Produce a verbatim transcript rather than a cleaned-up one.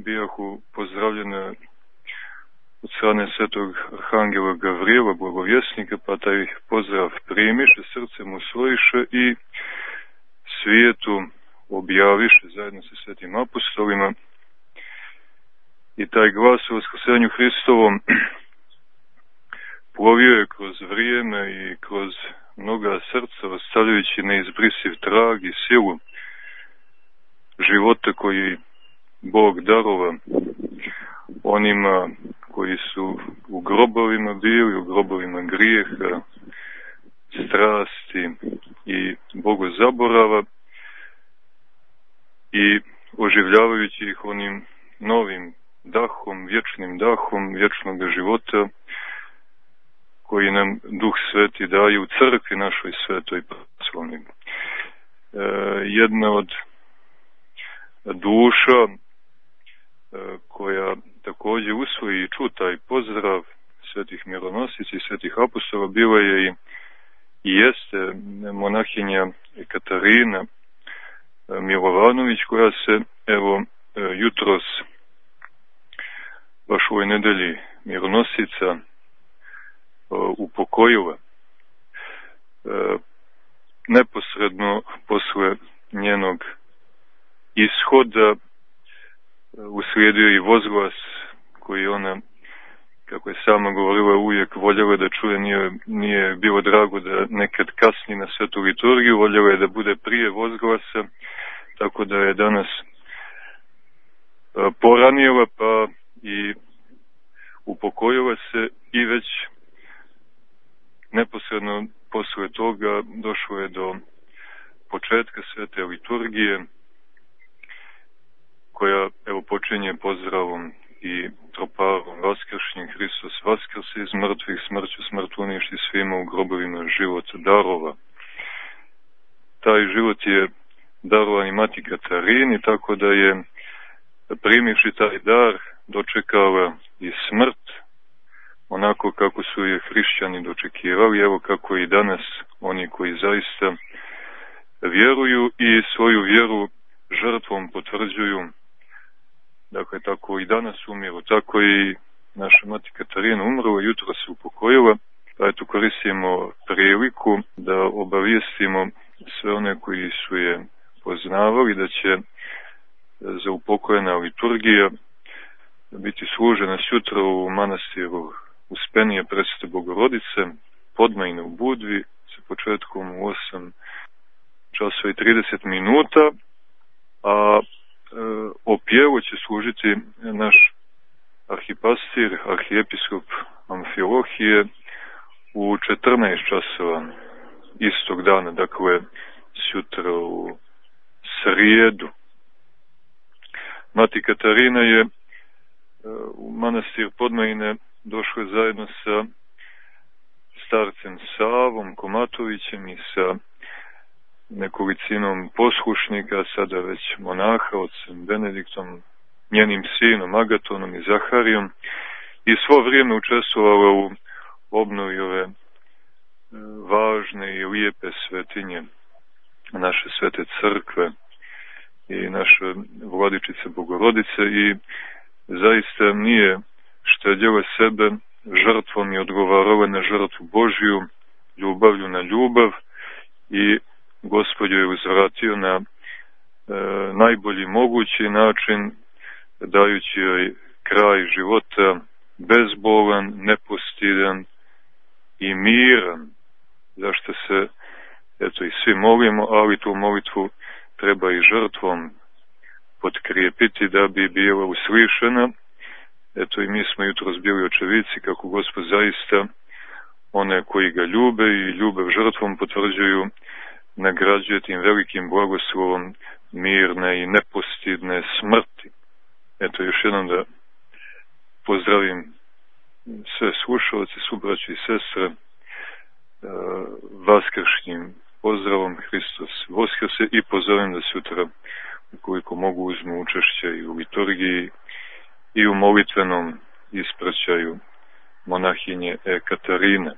bijahu pozdravljene od strane svetog arhangela Gavrijela, blagovjesnika, pa taj pozdrav primiše, srcem usvojiše i svijetu objaviše zajedno sa svetim apostolima. I taj glas o vaskrsenju Hristovom plovio je kroz vrijeme i kroz mnoga srca, ostavljajući neizbrisiv trag i silu života koji Bog darova onima koji su u grobovima bili, u grobovima grijeha, strasti i bogozaborava, i oživljavajući ih onim novim dahom, vječnim dahom vječnog života koji nam Duh Sveti daje u crkvi našoj svetoj pravoslavnoj. E, jedna od duša e, koja također usvoji i ču taj pozdrav svetih mironosica i svetih apostola bila je i, i jeste monahinja Katarina Milovanović, koja se evo jutros baš u ovoj nedelji mironosica upokojila. Neposredno posle njenog ishoda uslijedio i vozglas koji ona, kako je sama govorila, uvijek voljela da čuje, nije, nije bilo drago da nekad kasni na svetu liturgiju, voljela je da bude prije vozglasa, tako da je danas poranila pa i upokojila se, i već neposredno posle toga došlo je do početka svete liturgije, koja evo počinje pozdravom i troparom Vaskršnji, Hristos vaskrse iz mrtvih, smrću smrt uništi, svima u grobovima život darova. Taj život je darovan i mati Katarini, tako da je, primivši taj dar, dočekala i smrt, onako kako su je hrišćani dočekivali, evo kako i danas oni koji zaista vjeruju i svoju vjeru žrtvom potvrđuju. Dakle, tako i danas umiru, tako i naša mati Katarina umrla, jutro se upokojila, pa eto koristimo priliku da obavijestimo sve one koji su je poznavali da će za upokojena liturgija biti služena sutra u manastiru Uspenije Presvete Bogorodice, Podmajne u Budvi, sa početkom u osam časova i trideset minuta, a o pjevu će služiti naš arhipastir, arhijepiskop Amfilohije, u četrnaest časova istog dana, dakle sutra u srijedu. Mati Katarina je u manastir Podmajne došla zajedno sa starcem Savom Komatovićem i sa nekolicinom poslušnika, sada već monaha, ocem Benediktom, njenim sinom Agatonom i Zaharijom, i svo vrijeme učestvovala u obnovi ove važne i lijepe svetinje naše svete crkve i naše Vladičice Bogorodice, i zaista nije štedjela sebe, žrtvom i odgovarala na žrtvu Božju, ljubavlju na ljubav, i Gospod je uzvratio na e, najbolji mogući način, dajući joj kraj života bezbolan, nepostidan i miran, zašto se eto i svi molimo, ali tu molitvu treba i žrtvom potkrijepiti da bi bila uslišena. Eto i mi smo jutros bili očevici kako Gospod zaista one koji ga ljube i ljubav žrtvom potvrđuju, nagrađuje tim velikim blagoslovom mirne i nepostidne smrti. Eto još jednom da pozdravim sve slušalce, subraće i sestre, vaskršnjim pozdravom Hristos Voskrse, i pozovem da sutra, ukoliko mogu, uzmu učešće i u liturgiji i u molitvenom ispraćaju monahinje Katarine.